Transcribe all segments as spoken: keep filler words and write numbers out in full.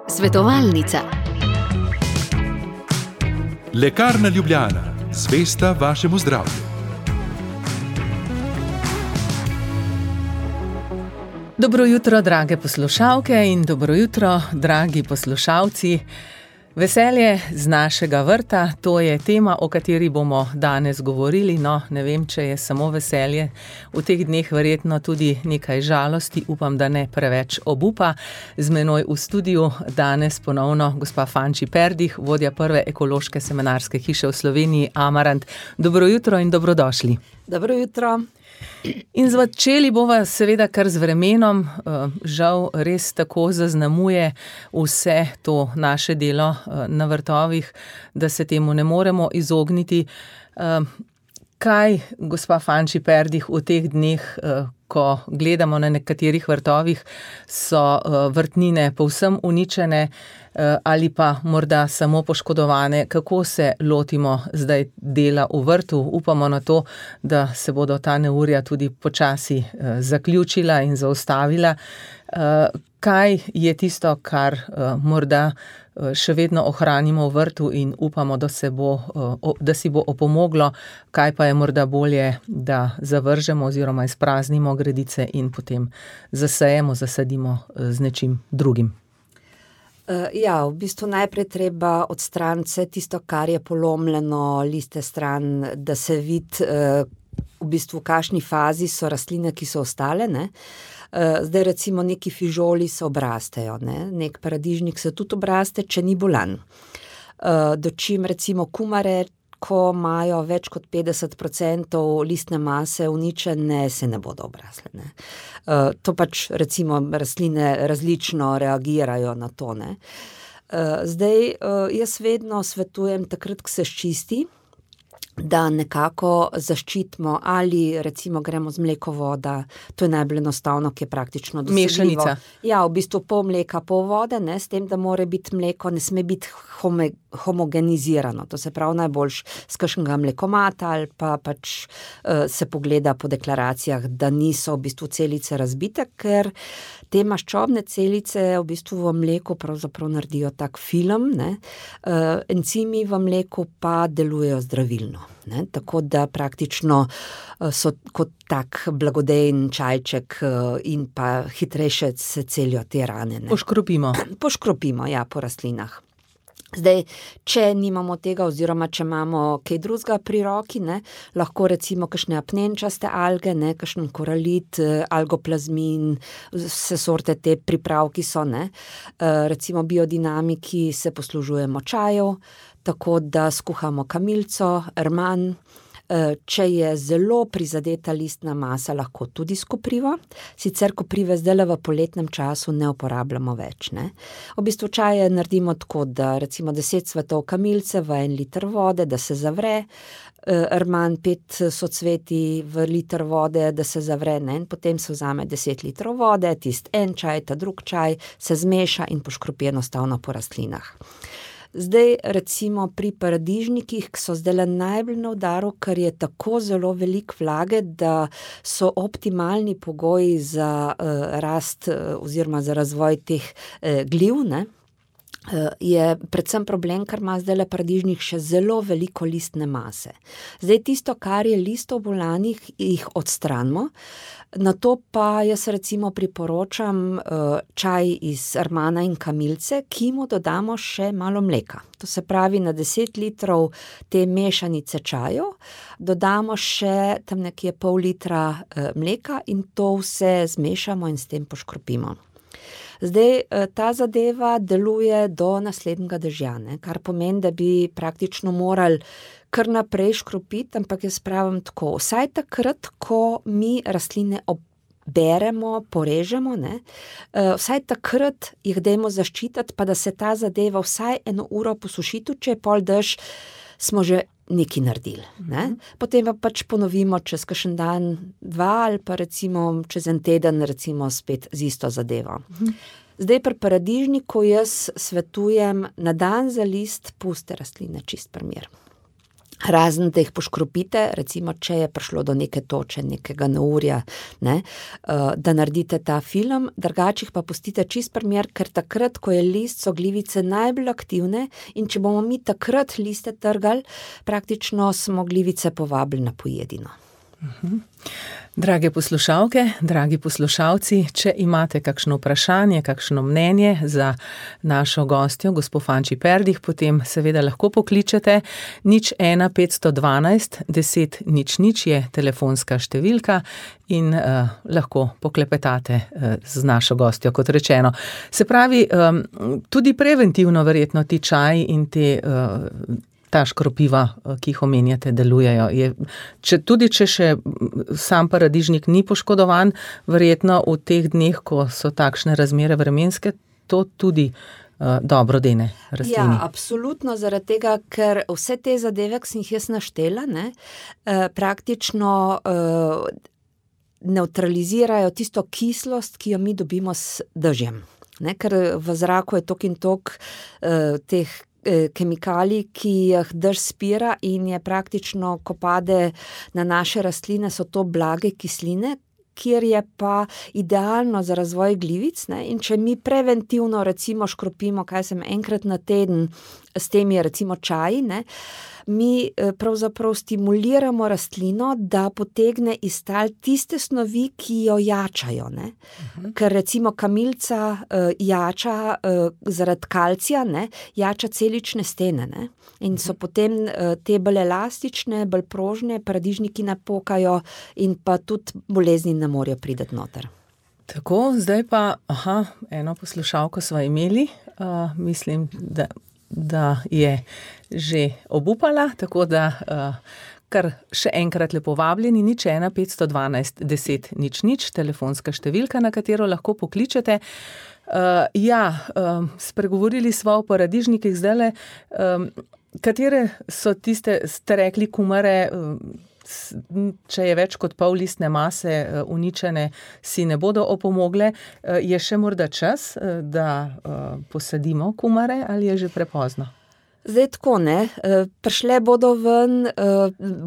Svetovalnica. Lekarna Ljubljana, zvesta vašemu zdravju. Dobro jutro, drage poslušalke in dobro jutro, dragi poslušalci. Veselje z našega vrta, to je tema, o kateri bomo danes govorili. No, ne vem, če je samo veselje. V teh dneh verjetno tudi nekaj žalosti, upam, da ne preveč obupa. Z menoj v studiu danes ponovno gospa Fanči Perdih, vodja prve ekološke semenarske hiše v Sloveniji, Amarant. Dobro jutro in dobrodošli. Dobro jutro. In začeli bova seveda kar z vremenom, žal res tako zaznamuje vse to naše delo na vrtovih, da se temu ne moremo izogniti. Kaj, gospa Fanči Perdih, v teh dneh, ko gledamo na nekaterih vrtovih, so vrtnine povsem uničene ali pa morda samo poškodovane? Kako se lotimo zdaj dela v vrtu? Upamo na to, da se bodo ta neurja tudi počasi zaključila in zaustavila. Kaj je tisto, kar morda še vedno ohranimo v vrtu in upamo, da se bo, da si bo opomoglo, kaj pa je morda bolje, da zavržemo oziroma izpraznimo gredice in potem zasejemo, zasadimo z nečim drugim? Ja, v bistvu najprej treba odstraniti vse tisto, kar je polomljeno, liste stran, da se vidi v bistvu v kakšni fazi so rastline, ki so ostale, ne. Zdaj recimo neki fižoli se obrastejo, ne, nek paradižnik se tudi obraste, če ni bolan. Dočim recimo kumare, ko imajo več kot petdeset procentov listne mase uničene, se ne bodo obrasle, ne. To pač recimo rastline različno reagirajo na to, ne. Zdaj jaz vedno svetujem takrat, ko se sčisti, da nekako zaščitimo ali recimo gremo z mleko voda, to je najbolj enostavno, ki je praktično dosegljivo. Mešanica. Ja, v bistvu pol mleka, pol vode, ne, s tem, da mora biti mleko, ne sme biti home, homogenizirano, to se pravi najboljš s kakšnega mlekomata ali pa pač uh, se pogleda po deklaracijah, da niso v bistvu celice razbite, ker te maščobne celice v bistvu v mleku pravzaprav naredijo tak film, ne, uh, encimi v mleku pa delujejo zdravilno. Ne, tako da praktično so kot tak blagodejen čajček in pa hitrejše se celijo te rane. Ne. Poškropimo. Poškropimo, ja, po rastlinah. Zdaj, če nimamo tega oziroma če imamo kaj drugega pri roki, ne, lahko recimo kakšne apnenčaste alge, ne, kakšen koralit, algoplazmin, vse sorte te pripravki so, ne. Recimo biodinamiki se poslužujemo čajev, tako da skuhamo kamilico, rman. Če je zelo prizadeta listna masa, lahko tudi s koprivo. Sicer koprive zdajle v poletnem času ne uporabljamo več, ne. V bistvu čaje naredimo tako, da recimo deset cvetov kamilice v en liter vode, da se zavre, rman pet socveti v liter vode, da se zavre, ne, in potem se vzame deset litrov vode, tist en čaj, ta drug čaj, se zmeša in poškropi enostavno po rastlinah. Zdaj recimo pri paradižnikih, ki so zdajle najbolj na udaru, ker je tako zelo veliko vlage, da so optimalni pogoji za uh, rast uh, oziroma za razvoj teh uh, gliv, ne. Je predvsem problem, ker ima zdajle paradižnik še zelo veliko listne mase. Zdaj tisto, kar je listov bolanih, jih odstranimo, na to pa jaz recimo priporočam uh, čaj iz rmana in kamilice, ki mu dodamo še malo mleka. To se pravi, na deset litrov te mešanice čajev dodamo še tam nekje pol litra uh, mleka in to vse zmešamo in s tem poškropimo. Zdaj, ta zadeva deluje do naslednjega dežja, ne, kar pomeni, da bi praktično morali kar naprej škropiti, ampak jaz pravim tako, vsaj takrat, ko mi rastline oberemo, porežemo, ne, vsaj takrat jih dajmo zaščititi, pa da se ta zadeva vsaj eno uro posuši, tudi če je pol dež, smo že nekaj naredili, ne. Potem pa pač ponovimo čez kakšen dan, dva ali pa recimo čez en teden recimo spet z isto zadevo. Zdaj pri paradižniku jaz svetujem na dan za list puste rastline, čist primer. Razen, da jih poškropite, recimo, če je prišlo do neke toče, nekega neurja, ne, da naredite ta film, drugače jih pa pustite čist primer, ker takrat, ko je list, so glivice najbolj aktivne in če bomo mi takrat liste trgali, praktično smo glivice povabili na pojedino. Uh-huh. Drage poslušalke, dragi poslušalci, če imate kakšno vprašanje, kakšno mnenje za našo gostjo, gospo Fanči Perdih, potem seveda lahko pokličete. Nič ena petsto dvanajst deset nič nič je telefonska številka in uh, lahko poklepetate uh, z našo gostjo, kot rečeno. Se pravi, um, tudi preventivno verjetno ti čaji in te uh, ta škropiva, ki jih omenjate, delujejo. Je, če, tudi če še sam paradižnik ni poškodovan, verjetno v teh dneh, ko so takšne razmere vremenske, to tudi uh, dobro dene rastlini. Ja, absolutno, zaradi tega, ker vse te zadeve, ki sem jih jaz naštela, ne, eh, praktično eh, nevtralizirajo tisto kislost, ki jo mi dobimo s dežjem. Ne, ker v zraku je tok in tok eh, teh kemikalij, ki jih dež spira in je praktično, ko pade na naše rastline, so to blage kisline, kjer je pa idealno za razvoj glivic, ne? In če mi preventivno recimo škropimo, kaj sem enkrat na teden, s temi recimo čaji, ne? Mi pravzaprav stimuliramo rastlino, da potegne iz tal tiste snovi, ki jo jačajo, ne? Uh-huh. Ker recimo kamilica uh, jača uh, zaradi kalcija, ne? Jača celične stene, ne? In so uh-huh. potem uh, te bolj elastične, bolj prožne, paradižniki napokajo in pa tudi bolezni ne morejo priti noter. Tako, zdaj pa, aha, eno poslušalko sva imeli, uh, mislim, da da je že obupala, tako da uh, kar še enkrat lepo vabljeni, nič ena petsto dvanajst deset nič nič, telefonska številka, na katero lahko pokličete. Uh, ja, uh, spregovorili sva o paradižnikih zdajle, um, katere so tiste, ste rekli, kumare, uh, če je več kot pol listne mase uničene, si ne bodo opomogle. Je še morda čas, da posadimo kumare ali je že prepozno? Zdaj tako, ne, prišle bodo ven,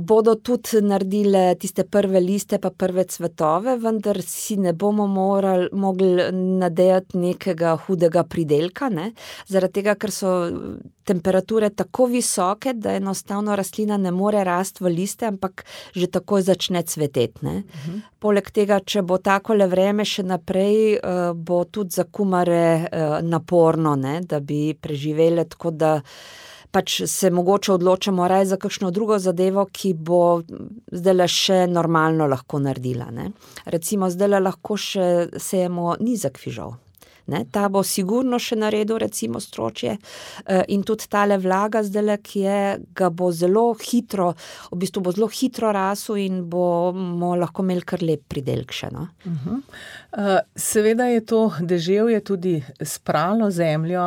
bodo tudi naredile tiste prve liste pa prve cvetove, vendar si ne bomo morali, mogli nadejati nekega hudega pridelka, ne, zaradi tega, ker so temperature tako visoke, da enostavno rastlina ne more rasti v liste, ampak že takoj začne cveteti, ne. Uh-huh. Poleg tega, če bo takole vreme še naprej, bo tudi za kumare naporno, ne, da bi preživele, tako da pač se mogoče odločamo raje za kakšno drugo zadevo, ki bo zdajle še normalno lahko naredila, ne. Recimo zdajle lahko še sejemo nizek fižol. Ne, ta bo sigurno še naredil recimo stročje in tudi tale vlaga zdajle, ki je, ga bo zelo hitro, v bistvu bo zelo hitro rasel in bomo lahko imeli kar lep pridelk še, no. Uh-huh. Uh, seveda je to deževje tudi spralo zemljo,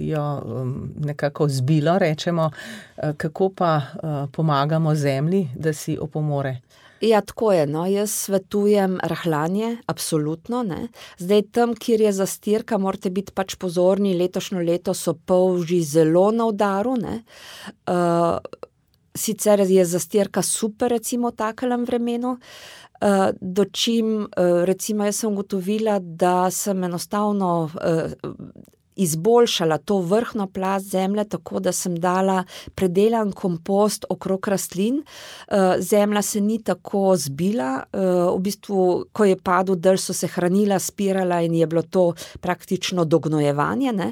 jo um, nekako zbilo, rečemo, uh, kako pa uh, pomagamo zemlji, da si opomore? Ja, tako je, no, jaz svetujem rahljanje, absolutno, ne. Zdaj tam, kjer je zastirka, morate biti pač pozorni, letošnjo leto so polži zelo na udaru, ne. Uh, sicer je zastirka super, recimo, v takelem vremenu, uh, dočim, uh, recimo, jaz sem ugotovila, da sem enostavno uh, izboljšala to vrhno plast zemlje, tako da sem dala predelan kompost okrog rastlin. Zemlja se ni tako zbila, v bistvu, ko je padel dež, so se hranila, spirala in je bilo to praktično dognojevanje, ne.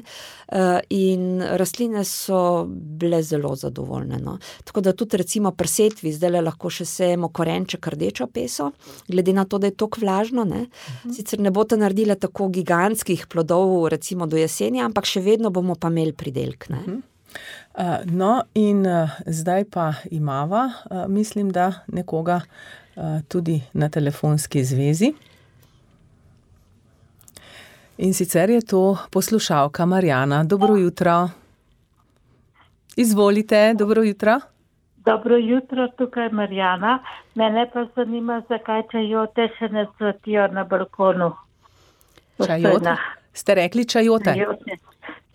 In rastline so bile zelo zadovoljne, no. Tako da tudi recimo pri setvi zdajle lahko še sejemo korenček rdečo peso, glede na to, da je toliko vlažno, ne. Uh-huh. Sicer ne boste naredila tako gigantskih plodov recimo do jeseni, ampak še vedno bomo pa imeli pridelk, ne. Uh-huh. Uh, no in uh, zdaj pa imava, uh, mislim, da nekoga uh, tudi na telefonski zvezi. In sicer je to poslušalka Marjana. Dobro jutro. Izvolite, dobro jutro. Dobro jutro, tukaj Marjana. Mene pa zanima, zakaj čajote še ne cvetijo na balkonu. Čajote? Ste rekli čajote? Čajote,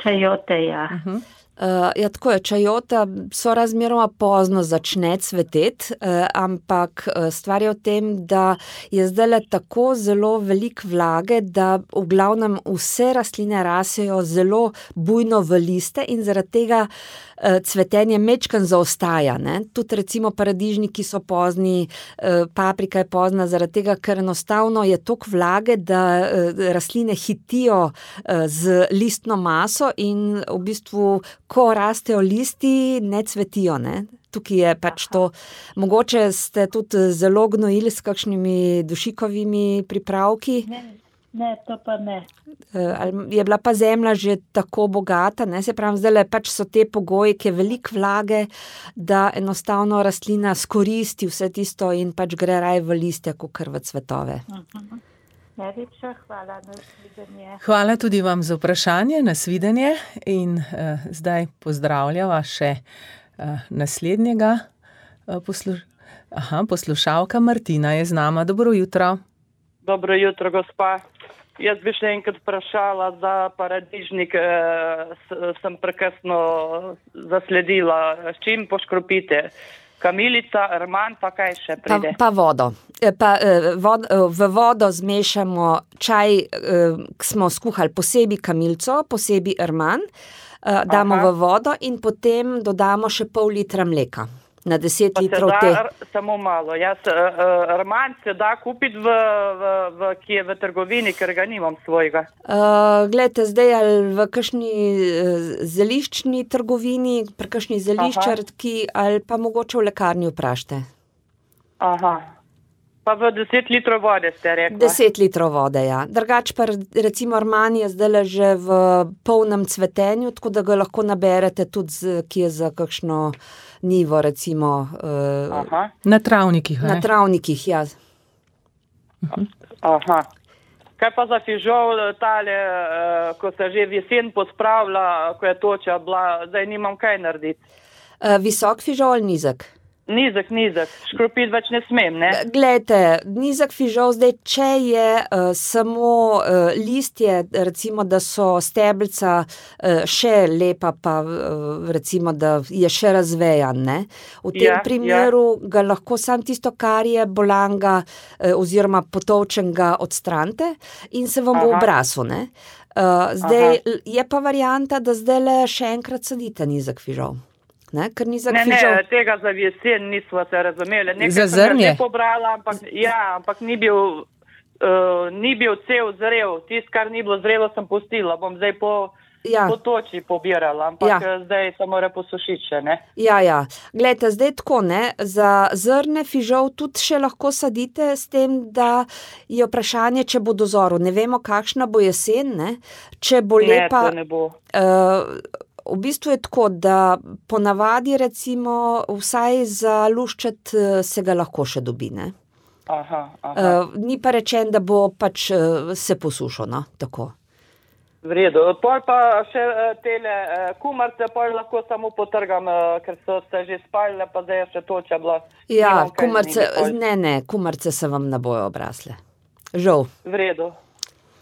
čajote ja. Uh-huh. Uh, ja, tako je, čajota so razmeroma pozno začne cveteti, uh, ampak uh, stvar je v tem, da je zdajle tako zelo veliko vlage, da v glavnem vse rastline rasejo zelo bujno v liste in zaradi tega uh, cvetenje mečkan zaostaja. Ne? Tudi recimo paradižniki so pozni, uh, paprika je pozna zaradi tega, ker enostavno je toliko vlage, da uh, rastline hitijo uh, z listno maso in v bistvu ko rastejo listi, ne cvetijo, ne. Tukaj je pač to, mogoče ste tudi zelo gnojili s kakšnimi dušikovimi pripravki. Ne, ne, to pa ne. Je bila pa zemlja že tako bogata, ne, se pravim, zdaj pač so te pogoji, ki je veliko vlage, da enostavno rastlina skoristi vse tisto in pač gre raj v listje, kakor v cvetove. Uh-huh. Najlepša hvala, nasvidenje. Hvala tudi vam za vprašanje, nasvidenje in uh, zdaj pozdravljava še uh, naslednjega uh, poslu... Aha, poslušalka Martina je z nama. Dobro jutro. Dobro jutro, gospa. Jaz bi še enkrat vprašala za paradižnik, uh, sem prekasno zasledila, s čim poškropite? Kamilica, rman, pa kaj še pride? Pa, pa vodo. Pa, vod, v vodo zmešamo čaj, ki smo skuhali posebej kamilico, posebej rman, damo Aha. v vodo in potem dodamo še pol litra mleka. Na deset pa litrov da, te. R, samo malo. Jaz, uh, rman se da kupiti v, v, v, ki je v trgovini, ker ga nimam svojega. Uh, Glejte, zdaj ali v kakšni uh, zeliščni trgovini, pri kakšni zeliščarki ali pa mogoče v lekarni vprašajte. Aha. Pa v deset litrov vode ste rekla? Deset litrov vode, ja. Drugač pa recimo rman je zdaj že v polnem cvetenju, tako da ga lahko naberete tudi, z, ki je za kakšno nivo, recimo. Uh, na travnikih, ne? Na travnikih, ja. Aha. Kaj pa za fižol, tale, uh, ko se že v jesen pospravlja, ko je toča bila, zdaj nimam kaj narediti? Uh, visok fižol, nizek? Nizek, nizek. Škropiti več ne smem, ne? Glejte, nizek fižol zdaj, če je uh, samo uh, listje, recimo, da so stebelca uh, še lepa, pa uh, recimo, da je še razvejan, ne? V tem ja, primeru ja. ga lahko sam tisto, kar je bolanga uh, oziroma potolčenega odstranite in se vam Aha. bo obrasel, ne? Uh, zdaj Aha. je pa varianta, da zdaj le še enkrat sadite nizek fižol. Ne, ne, ne, tega za jesen nismo se razumeli. Nekaj za zrnje? Sem ga pobrala, ampak, ja, ampak ni bil, uh, ni bil cel zrel. Tist, kar ni bilo zrelo, sem pustila. Bom zdaj po, ja. po toči pobirala, ampak ja. zdaj se mora posušiti še, ne? Ja, ja. Glejte, zdaj tako, ne, za zrne fižol tudi še lahko sadite s tem, da je vprašanje, če bo dozoril. Ne vemo, kakšna bo jesen, ne? Če bo ne, lepa... to ne bo. Uh, V bistvu je tako, da ponavadi recimo vsaj za luščet se ga lahko še dobi, ne? Aha, aha. Uh, ni pa rečen, da bo pač uh, se posušil, no, tako. V redu. Pol pa še uh, tele uh, kumarce, pol lahko samo potrgam, uh, ker so se že spalile, pa zdaj je še toča bila. Ja, kumarce, ne, ne, kumarce se vam ne bojo obrasle. Žal. V redu.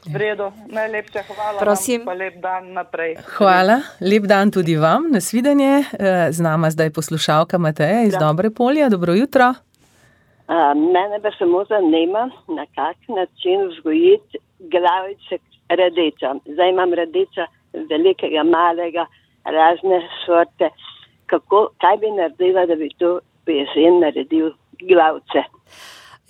V redu, najlepša hvala. Prosim. Vam, pa lep dan naprej. Hvala, lep dan tudi vam, nasvidenje. Z nama zdaj poslušalka Mateja iz da. Dobre Polja, dobro jutro. A, mene pa samo zanima, na kak način vzgojiti glavice radeča. Zdaj imam radeča velikega, malega, razne sorte. Kako, kaj bi naredila, da bi to po jesen naredil glavice?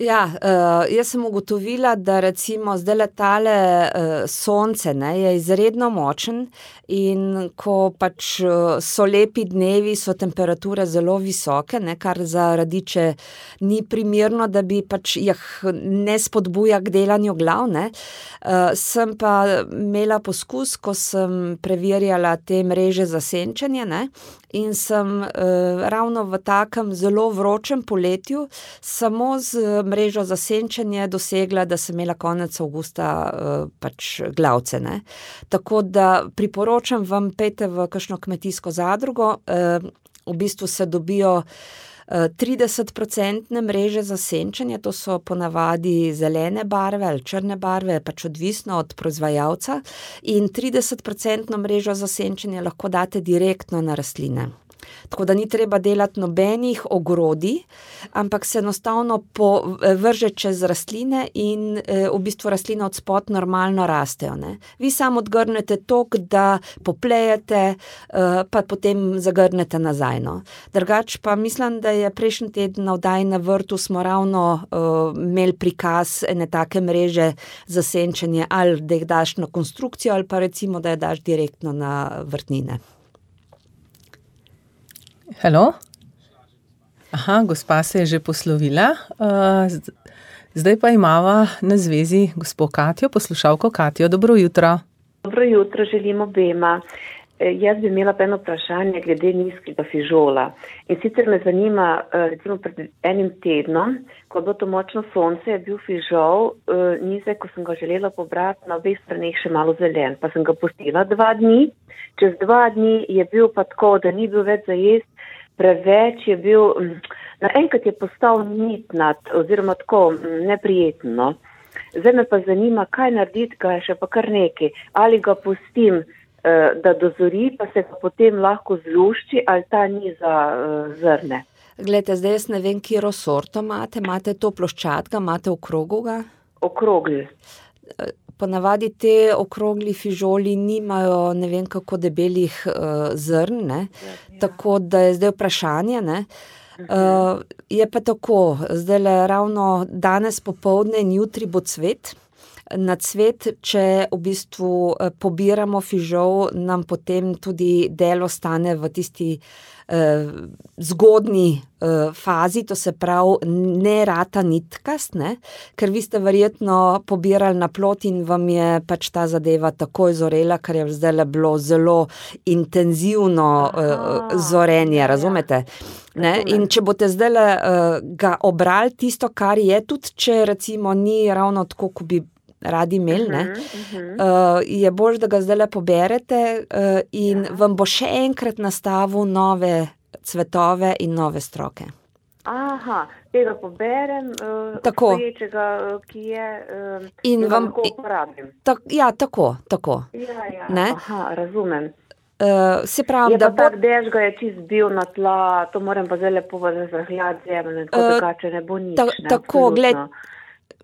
Ja, uh, jaz sem ugotovila, da recimo zdaj letale uh, sonce, ne, je izredno močen in ko pač uh, so lepi dnevi, so temperature zelo visoke, ne, kar za radiče ni primerno, da bi pač jih ne spodbuja k delanju glav, ne. Uh, sem pa imela poskus, ko sem preverjala te mreže za senčenje, ne, in sem uh, ravno v takem zelo vročem poletju samo z mrežo za senčenje dosegla, da sem imela konec avgusta uh, pač glavce, ne. Tako da priporočam vam, pejte v kakšno kmetijsko zadrugo, uh, v bistvu se dobijo trideset procentne mreže za senčenje, to so ponavadi zelene barve ali črne barve, pač odvisno od proizvajalca, in trideset procentno mrežo za senčenje lahko date direktno na rastline. Tako da ni treba delati nobenih ogrodij, ampak se enostavno vrže čez rastline in e, v bistvu rastline od spod normalno rastejo. Ne? Vi samo odgrnete tok, da poplejete, e, pa potem zagrnete nazaj. No? Drugač pa mislim, da je prejšnji teden na oddaji na vrtu smo ravno e, imeli prikaz ene take mreže za senčenje, ali da jih daš na konstrukcijo, ali pa recimo, da jih daš direktno na vrtnine. Halo? Aha, gospa se je že poslovila. Zdaj pa imava na zvezi gospo Katjo, poslušalko Katjo. Dobro jutro. Dobro jutro, želim obema. Jaz bi imela eno vprašanje glede nizkega fižola. In sicer me zanima, recimo pred enim tednom, ko je bilo to močno sonce, je bil fižol nizek, ko sem ga želela pobrati na obeh straneh še malo zelen. Pa sem ga pustila dva dni. Čez dva dni je bil pa tako, da ni bil več za jesti, preveč je bil, naenkrat je postal nitnat oziroma tako neprijetno. Zdaj me pa zanima, kaj narediti, ga je še pa kar nekaj. Ali ga pustim, da dozori, pa se ga potem lahko zlušči, ali ta ni za zrne. Glejte, zdaj jaz ne vem, kjero sorto imate. Imate to ploščatga, imate okroglega? Okrogli. Ponavadi te okrogli fižoli nimajo ne vem kako debelih uh, zrn, ne? Ja, ja. Tako da je zdaj vprašanje, ne? Uh, je pa tako, zdaj le ravno danes popoldne in jutri bo cvet. Na cvet, če v bistvu pobiramo fižol, nam potem tudi del ostane v tisti eh, zgodni eh, fazi, to se pravi ne rata nitkast, ne? Ker vi ste verjetno pobirali na plot in vam je pač ta zadeva takoj zorela, ker je zdaj bilo zelo intenzivno eh, zorenje, razumete? Ne? In če boste zdaj uh, ga obrali tisto, kar je, tudi če recimo ni ravno tako, ko bi radi imeli, ne, uh, je bolj, da ga zdaj poberete uh, in ja. Vam bo še enkrat nastavil nove cvetove in nove stroke. Aha, tega poberem, uh, stoječega, ki je, uh, in vam lahko uporabim. Ta, ja, tako, tako. Ja, ja, ne? Aha, razumem. Uh, se pravi, je da pa tak dež ga je čist bil na tla, to moram pa zdaj lepo razrahljati zemlje, tako uh, drugače ne bo nič. Ta, ne, tako, gled,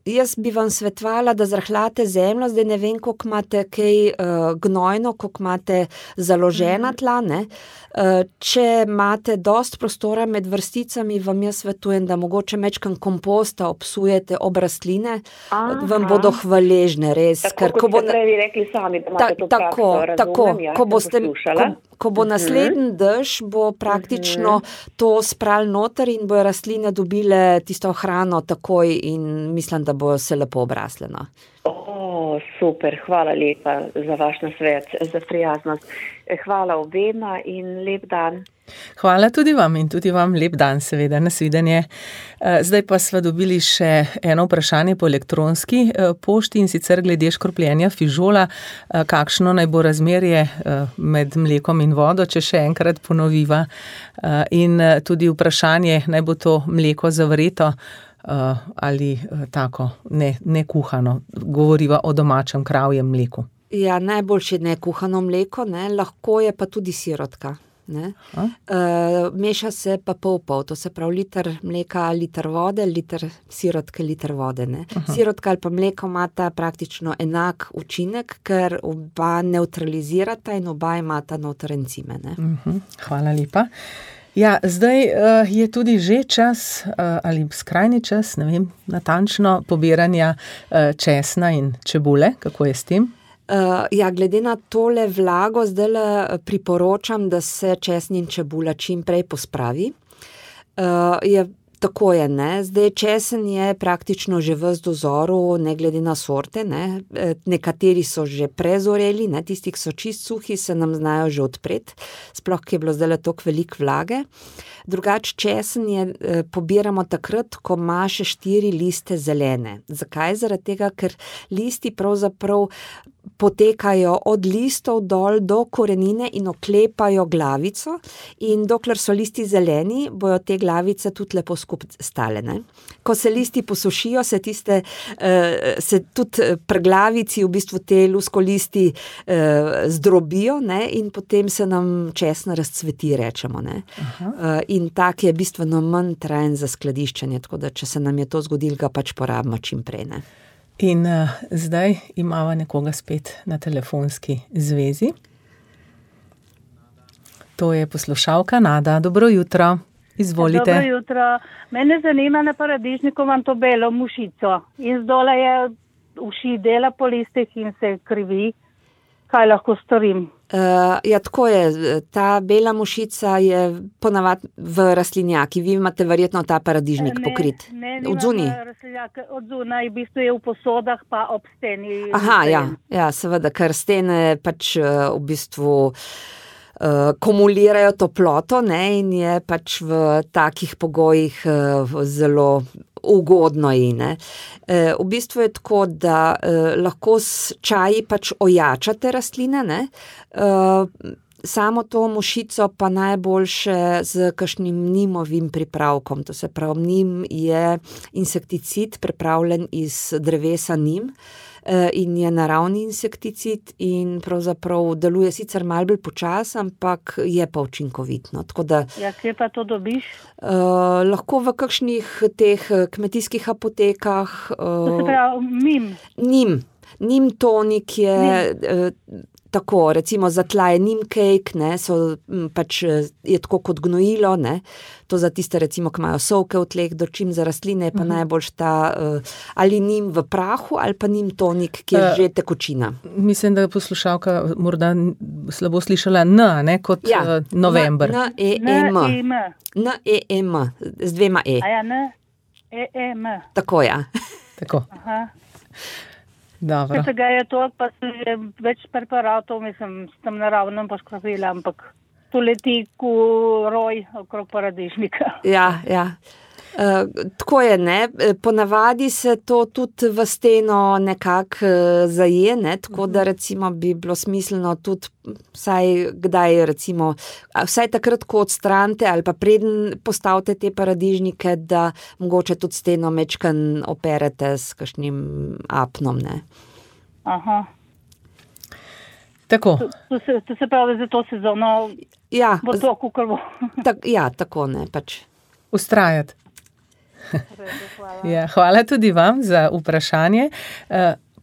jaz bi vam svetovala, da zrahljate zemljo, zdaj ne vem, koliko imate kaj uh, gnojno, koliko imate založena tla, ne. Uh, če imate dost prostora med vrsticami, vam jaz svetujem, da mogoče mečkan komposta obsujete ob rastline, Aha. vam bodo hvaležne, res. Tako, ker, ko bo ste prej rekli sami, da imate ta, to tako, prakso, tako, razumem, ja, ko boste, ko, ko bo uh-huh. naslednji dež, bo praktično uh-huh. to spral noter in bojo rastline dobile tisto hrano takoj in mislim, da bojo se lepo obrasle. No. O, super, hvala lepa za vaš nasvet, za prijaznost. Hvala obema in lep dan. Hvala tudi vam in tudi vam lep dan, seveda, nasvidenje. Zdaj pa sva dobili še eno vprašanje po elektronski pošti in sicer glede škropljenja fižola. Kakšno naj bo razmerje med mlekom in vodo, če še enkrat ponoviva. In tudi vprašanje, naj bo to mleko zavreto ali tako, ne, ne kuhano. Govoriva o domačem kravjem mleku. Ja, najboljše ne kuhano mleko, ne, lahko je pa tudi sirotka. Ne? Uh, meša se pa pol pol, to se pravi liter mleka, liter vode, liter sirotke, liter vode. Ne? Sirotka ali pa mleko imata praktično enak učinek, ker oba neutralizirata in oba imata noter encime. Ne? Uh-huh. Hvala lepa. Ja, zdaj uh, je tudi že čas uh, ali skrajni čas, ne vem, natančno pobiranja uh, česna in čebule. Kako je s tem? Uh, ja, glede na tole vlago, zdaj priporočam, da se česen in čebula čim prej pospravi. Uh, je, tako je, ne. Zdaj česen je praktično že ves dozoru, ne glede na sorte, ne. Nekateri so že prezoreli, ne. Tisti, ki so čist suhi, se nam znajo že odpreti, sploh, ki je bilo zdaj toliko veliko vlage. Drugač česen je, eh, pobiramo takrat, ko ima še štiri liste zelene. Zakaj? Zaradi tega, ker listi pravzaprav potekajo od listov dol do korenine in oklepajo glavico in dokler so listi zeleni, bojo te glavice tudi lepo skupaj stale, ne. Ko se listi posušijo, se tiste, se tudi pri glavici v bistvu te luskolisti zdrobijo, ne, in potem se nam česna razcveti, rečemo, ne. In tak je bistveno manj trajen za skladiščenje, tako da če se nam je to zgodilo, ga pač porabimo čim prej, ne. In uh, zdaj imamo nekoga spet na telefonski zvezi. To je poslušalka Nada. Dobro jutro, izvolite. Dobro jutro. Mene zanima na paradižniku, imam to belo mušico in zdole je uši dela po listih in se krivi. Kaj lahko storim? Uh, ja, tako je. Ta bela mušica je ponavadi v rastlinjaki. Vi imate verjetno ta paradižnik ne, pokrit. Ne, od zunaj? Od zunaj, v bistvu je v posodah pa ob steni. Aha, ja, ja, seveda, ker stene pač uh, v bistvu uh, kumulirajo toploto, ne, in je pač v takih pogojih uh, zelo ugodno ji, ne. E, v bistvu je tako, da e, lahko s čaji pač ojačate rastline, ne. E, samo to mušico pa najboljše z kakšnim nimovim pripravkom. To se pravi, nim je insekticid pripravljen iz drevesa nim in je naravni insekticid in pravzaprav deluje sicer malo bolj počasi, ampak je pa učinkovit, no. Tako da ja, kje pa to dobiš? Uh, lahko v kakšnih teh kmetijskih apotekah. Uh, to se pravi, nim? Nim. Nim tonik je nim. Uh, tako, recimo za tla je nim cake, ne, so pač je tako kot gnojilo, ne. To za tiste, recimo, ki imajo sovke v tleh, dočim za rastline je pa uh-huh. najboljš ta uh, ali nim v prahu ali pa nim tonik, ki je uh, že tekočina. Mislim, da je poslušalka morda slabo slišala N, ne, kot ja. uh, november. N, E, E, M. N, E, E, M. Z dvema E. A ja, N, E, E, M. Tako, ja. Tako. Aha. Dobro. Če ga je to, pa se je več preparatov, mislim, s tem naravnem poškropila, ampak to leti ko roj okrog paradižnika. Ja, ja. Uh, tako je, ne, ponavadi se to tudi v steno nekako uh, zaje, ne, tako da recimo bi bilo smiselno tudi vsaj kdaj recimo, vsaj takrat, ko odstranite ali pa preden postavite te paradižnike, da mogoče tudi steno mečkan operete s kakšnim apnom, ne. Aha. Tako. To, to, se, to se pravi za to sezono, ja, bo to kukrvo. Tak, ja, tako, ne, pač. Ustrajati. Hvala. Ja, hvala tudi vam za vprašanje.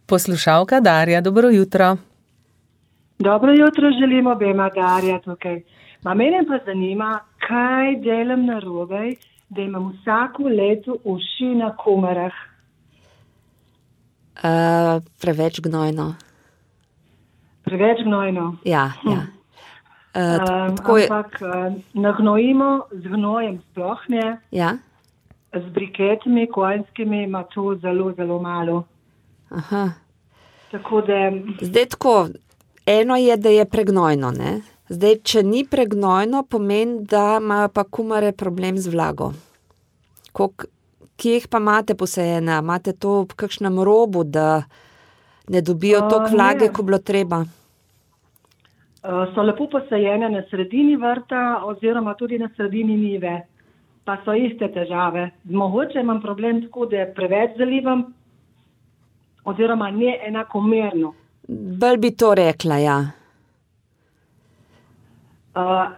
Poslušalka Darja, dobro jutro. Dobro jutro, želim obema, Darja tukaj. Ma mene pa zanima, kaj delam narobe, da imam vsako leto uši na komarah. Uh, preveč gnojno. Preveč gnojno? Ja, ja. Uh, um, ampak uh, nagnojimo z gnojem sploh ne. Ja. Z briketami, konjskimi ima to zelo, zelo malo. Aha. Tako da... Zdaj tako, eno je, da je pregnojno, ne? Zdaj, če ni pregnojno, pomeni, da imajo pa kumare problem z vlago. Kok, kje jih pa imate posajene? Imate to v kakšnem robu, da ne dobijo uh, toliko vlage, ko bilo treba? Uh, so lepo posajene na sredini vrta oziroma tudi na sredini njive. Pa so iste težave. Mogoče imam problem tako, da preveč zalivam, oziroma ne enakomerno. Bolj bi to rekla, ja. Uh,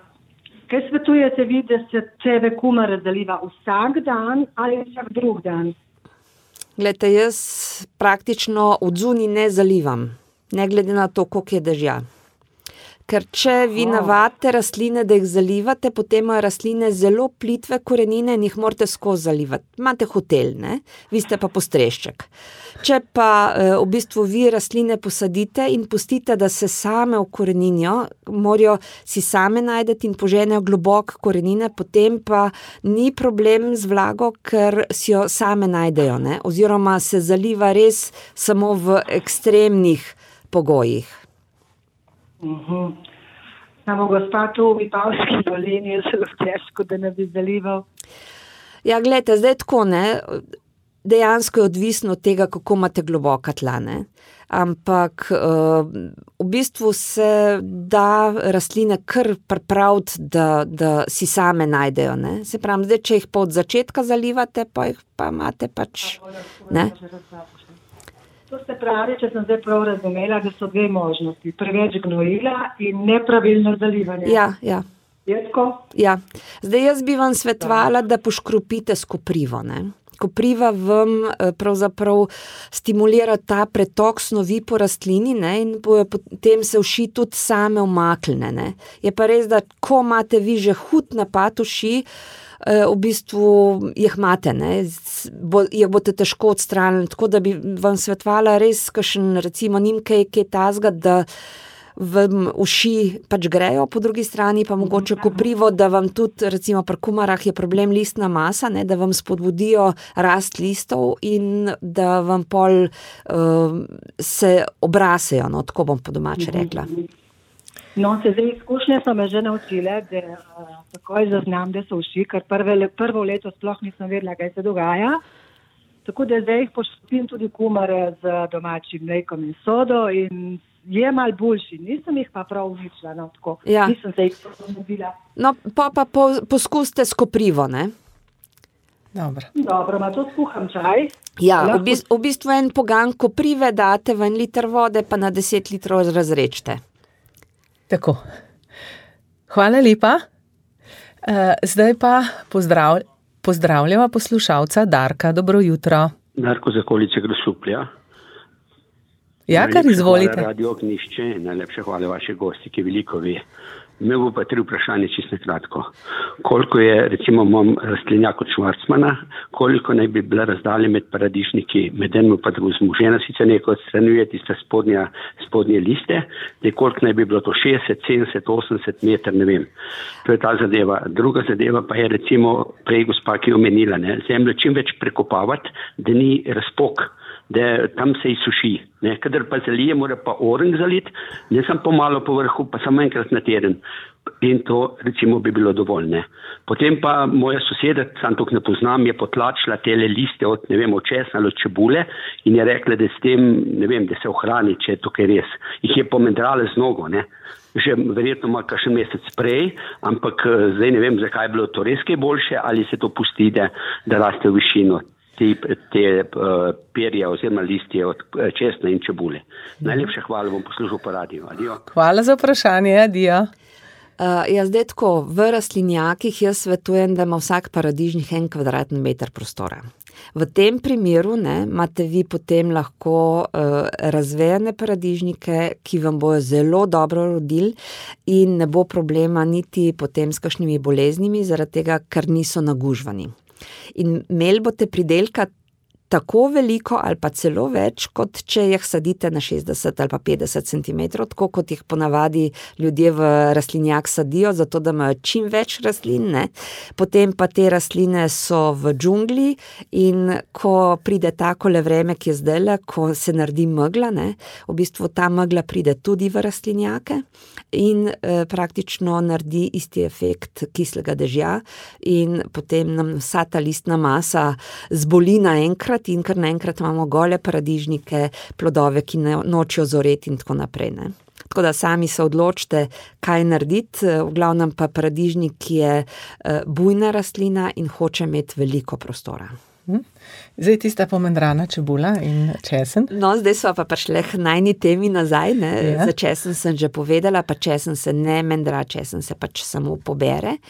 kaj svetujete vi, da se tebe kumare zaliva vsak dan ali vsak drug dan? Glejte, jaz praktično od zunaj ne zalivam, ne glede na to, koliko je dežja. Ker če vi navadite rastline, da jih zalivate, potem imajo rastline zelo plitve korenine in jih morate skozi zalivati. Imate hotel, ne? Vi ste pa postrešček. Če pa v bistvu vi rastline posadite in pustite, da se same ukoreninijo, morajo si same najdeti in poženejo globoko korenine, potem pa ni problem z vlago, ker si jo same najdejo, ne? Oziroma se zaliva res samo v ekstremnih pogojih. Uh-huh. Samo gospa tu v Vipavski dolini je zelo težko, da ne bi zalival. Ja, gledajte, zdaj tako, ne, dejansko je odvisno od tega, kako imate globoka tla, ne. Ampak uh, v bistvu se da rastline kar pripraviti, da, da si same najdejo, ne. Se pravi, zdaj, če jih pa od začetka zalivate, pa jih pa imate pač, ne. To se pravi, če sem zdaj prav razumela, da so dve možnosti. Preveč gnojila in nepravilno zalivanje. Ja, ja. Je tako? Ja. Zdaj jaz bi vam svetovala, da poškropite s koprivo, ne. Kopriva vam pravzaprav stimulira ta pretok snovi po rastlini, ne, in potem se uši tudi same umakne, ne. Je pa res, da ko imate vi že hud napad uši, v bistvu jih imate, ne, bo, jih boste težko odstranili, tako da bi vam svetovala res kakšen, recimo, njim kaj, kaj tazga, da vam uši pač grejo, po drugi strani pa mogoče koprivo, da vam tudi, recimo pri kumarah je problem listna masa, ne, da vam spodbudijo rast listov in da vam pol uh, se obrasejo, no, tako bom po domače rekla. No, se zdaj izkušnje so me že naučile, da uh, takoj zaznam, da so uši, ker prve, prvo leto sploh nisem vedela, kaj se dogaja. Tako da zdaj jih poškropim tudi kumare z domačim mlekom in sodo in je mal boljši, nisem jih pa prav uničila, no, tako, ja. Nisem se jih ponudila. No, pa pa po, poskuste s koprivo, ne? Dobro. Dobro, ma to skuham čaj. Ja, lahko... v, bistvu, v bistvu en pogan koprive date v en liter vode, pa na deset litrov razrečte. Tako. Hvala lepa. Uh, zdaj pa pozdrav, pozdravljava poslušalca Darka, dobro jutro. Darko z okolice Grosuplja. Ja, kar izvolite. Hvala Radio Ognjišče, najlepše hvala vaše gosti, ki veliko ve. Imel bo pa tri vprašanje čisto kratko. Koliko je, recimo, imam rastlinjak od Švarcmana, koliko naj bi bila razdalja med paradižniki, med enim pa drugim. Žena sicer nekaj odstranjuje tiste spodnje, spodnje liste, da koliko naj bi bilo to šestdeset, sedemdeset, osemdeset meter, ne vem. To je ta zadeva. Druga zadeva pa je, recimo, prej gospa, ki je omenila, ne, zemljo čim več prekopavati, da ni razpok, da tam se izsuši. Ne, kadar pa zalije, mora pa orenk zaliti, ne samo pomalo po vrhu, pa samo enkrat na teden. In to, recimo, bi bilo dovolj, ne. Potem pa moja soseda, sam tok ne poznam, je potlačila tele liste od, ne vem, od česna ali od čebule in je rekla, da s tem, ne vem, da se ohrani, če je tukaj res. Jih je pomendrala z nogo, ne. Že verjetno ima kakšen mesec prej, ampak zdaj ne vem, zakaj je bilo to res kaj boljše, ali se to pusti, da, da raste v višino te, te uh, perje oziroma listje od česna in čebule. Najlepša hvala, bom poslušal po radiju. Adijo. Hvala za vprašanje, adijo. Uh, ja, zdaj tako, v rastlinjakih jaz svetujem, da ima vsak paradižnik en kvadratni meter prostora. V tem primeru, ne, imate vi potem lahko uh, razvejane paradižnike, ki vam bojo zelo dobro rodili in ne bo problema niti potem s kakšnimi boleznimi, zaradi tega, ker niso nagužvani. In imeli boste pridelka tako veliko ali pa celo več, kot če jih sadite na šestdeset ali pa petdeset centimetrov, tako kot jih ponavadi ljudje v rastlinjak sadijo, zato da imajo čim več rastlin, ne. Potem pa te rastline so v džungli in ko pride takole vreme, ki je zdajle, ko se naredi megla, ne, v bistvu ta megla pride tudi v rastlinjake in eh, praktično naredi isti efekt kislega dežja in potem nam vsa ta listna masa zboli naenkrat in kar naenkrat imamo gole paradižnike, plodove, ki ne, nočijo zoreti in tako naprej, ne. Tako da sami se odločite, kaj narediti, v glavnem pa paradižnik je bujna rastlina in hoče imeti veliko prostora. Zdaj tista pomendrana čebula in česen. No, zdaj so pa prišle k najni temi nazaj, ne. Ja. Za česen sem že povedala, pa česen se ne mendra, česen se pač samo pobere.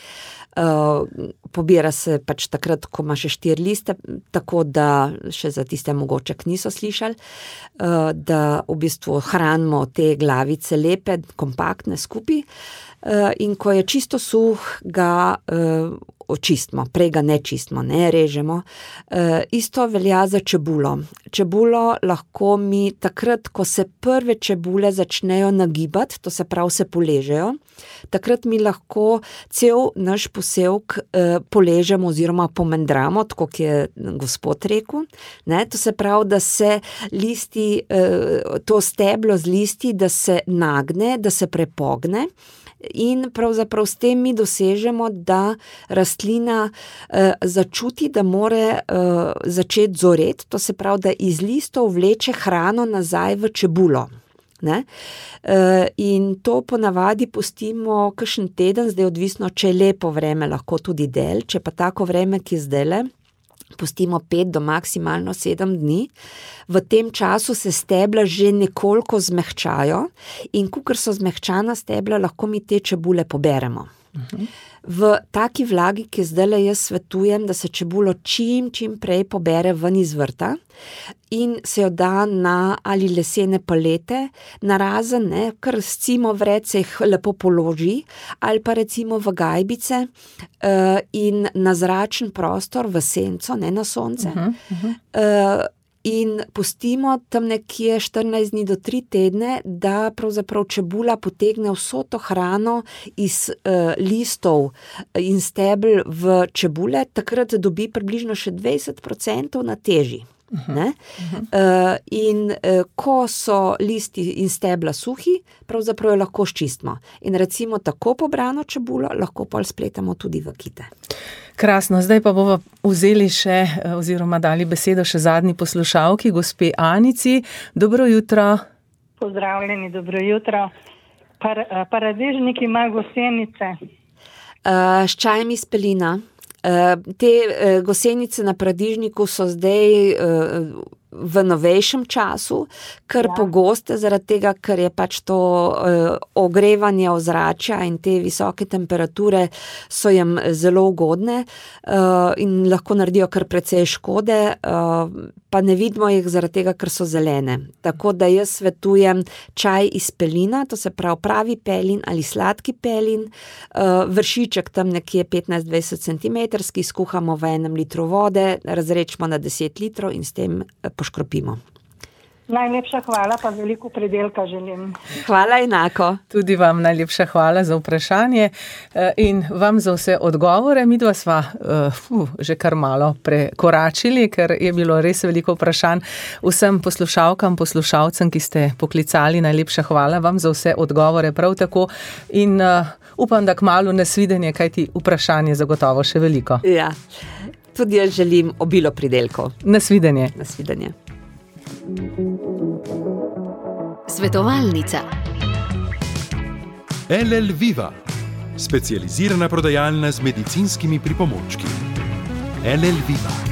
Uh, pobira se pač takrat, ko ima še štiri liste, tako da še za tiste mogoče niso slišali, uh, da v bistvu hranimo te glavice lepe, kompaktne skupaj uh, in ko je čisto suh, ga uh, očistimo, prej ga ne čistimo, ne režemo. Uh, isto velja za čebulo. Čebulo lahko mi takrat, ko se prve čebule začnejo nagibati, to se pravi se poležejo, takrat mi lahko cel naš posevk eh, poležemo oziroma pomendramo, tako kot je gospod rekel. Ne? To se pravi, da se listi, eh, to steblo z listi, da se nagne, da se prepogne in pravzaprav s tem mi dosežemo, da rast rastlina uh, začuti, da more uh, začeti zoreti, to se pravi, da iz listov vleče hrano nazaj v čebulo. Ne? Uh, in to ponavadi pustimo kakšen teden, zdaj odvisno, če je lepo vreme, lahko tudi del, če pa tako vreme, ki je zdajle, pustimo pet do maksimalno sedem dni. V tem času se stebla že nekoliko zmehčajo in kakor so zmehčana stebla, lahko mi te čebule poberemo. Uh-huh. V taki vlagi, ki zdajle jaz svetujem, da se čebulo čim, čim prej pobere ven iz vrta in se jo da na ali lesene palete, narazen, ne, kar s cimo vred se jih lepo položi, ali pa recimo v gajbice uh, in na zračen prostor, v senco, ne na sonce. Uh-huh, uh-huh. Uh, In pustimo tam nekje štirinajst dni do tri tedne, da pravzaprav čebula potegne vso to hrano iz uh, listov in stebel v čebule, takrat dobi približno še dvajset procentov na teži. Ne? Uh-huh. Uh, in uh, ko so listi in stebla suhi, pravzaprav jo lahko ščistimo. In recimo tako pobrano čebulo lahko pol spletamo tudi v kite. Krasno, zdaj pa bomo vzeli še oziroma dali besedo še zadnji poslušalki, gospe Anici. Dobro jutro. Pozdravljeni, dobro jutro. Par, paradižnik ima gosenice. Uh, s čajem iz pelina. Uh, te uh, gosenice na paradižniku so zdaj uh, v novejšem času, kar ja. Pogoste zaradi tega, ker je pač to uh, ogrevanje ozračja in te visoke temperature so jim zelo ugodne uh, in lahko naredijo kar precej škode, uh, pa ne vidimo jih zaradi tega, ker so zelene. Tako da jaz svetujem čaj iz pelina, to se pravi pravi pelin ali sladki pelin, uh, vršiček tam nekje petnajst do dvajset centimetrski, skuhamo v enem litru vode, razrečemo na deset litrov in s tem poškropimo. Najlepša hvala, pa veliko predelka želim. Hvala enako. Tudi vam najlepša hvala za vprašanje in vam za vse odgovore. Midva sva uh, že kar malo prekoračili, ker je bilo res veliko vprašanj. Vsem poslušalkam, poslušalcem, ki ste poklicali, najlepša hvala vam za vse odgovore prav tako in uh, upam, da kmalu nasvidenje, kajti vprašanje zagotovo še veliko. Ja, tudi jaz želim obilo pridelkov. Nasvidenje. Nasvidenje. Svetovalnica. L L Viva, specializirana prodajalna z medicinskimi pripomočki. L L Viva.